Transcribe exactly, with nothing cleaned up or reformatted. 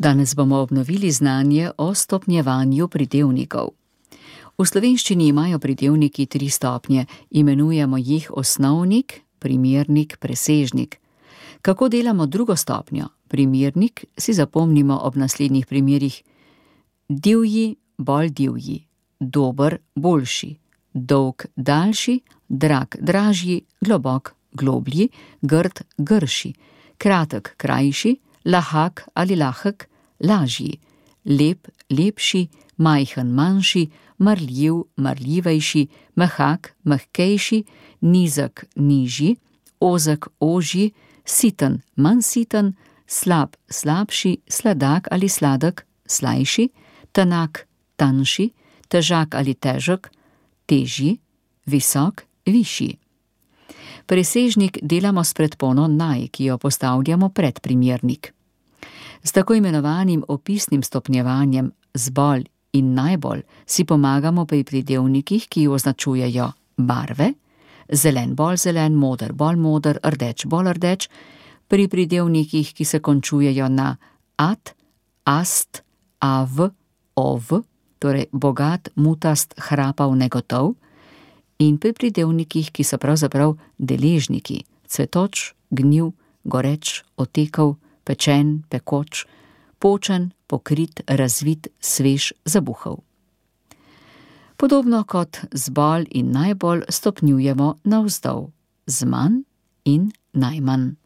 Danes bomo obnovili znanje o stopnjevanju pridevnikov. V slovenščini imajo pridevniki tri stopnje, imenujemo jih osnovnik, primernik, presežnik. Kako delamo drugo stopnjo? Primernik si zapomnimo ob naslednjih primerih: divji, bolj divji, dober, boljši, dolg, daljši, drag, dražji, globok, globlji, grd, grši, kratek, krajši, lahak ali lahek, lažji, lep, lepši, majhen, manjši, marljiv, marljivejši, mehak, mehkejši, nizek, nižji, ozek, ožji, siten, manj siten, slab, slabši, sladak ali sladek, slajši, tanak, tanjši, težak ali težek, težji, visok, višji. Presežnik delamo s predpono naj, ki jo postavljamo pred primernik. S tako imenovanim opisnim stopnjevanjem zbolj in najbolj si pomagamo pri pridevnikih, ki označujejo barve, zelen bolj zelen, moder bolj moder, rdeč bolj rdeč, pri pridevnikih, ki se končujejo na at, ast, av, ov, torej bogat, mutast, hrapav, negotov, in pri pridevnikih, ki so pravzaprav deležniki: cvetoč, gnil, goreč, otekel, pečen, pekoč, počen, pokrit, razvit, svež, zabuhal. Podobno kot z bolj in najbolj stopnjujemo navzdol, z manj in najmanj.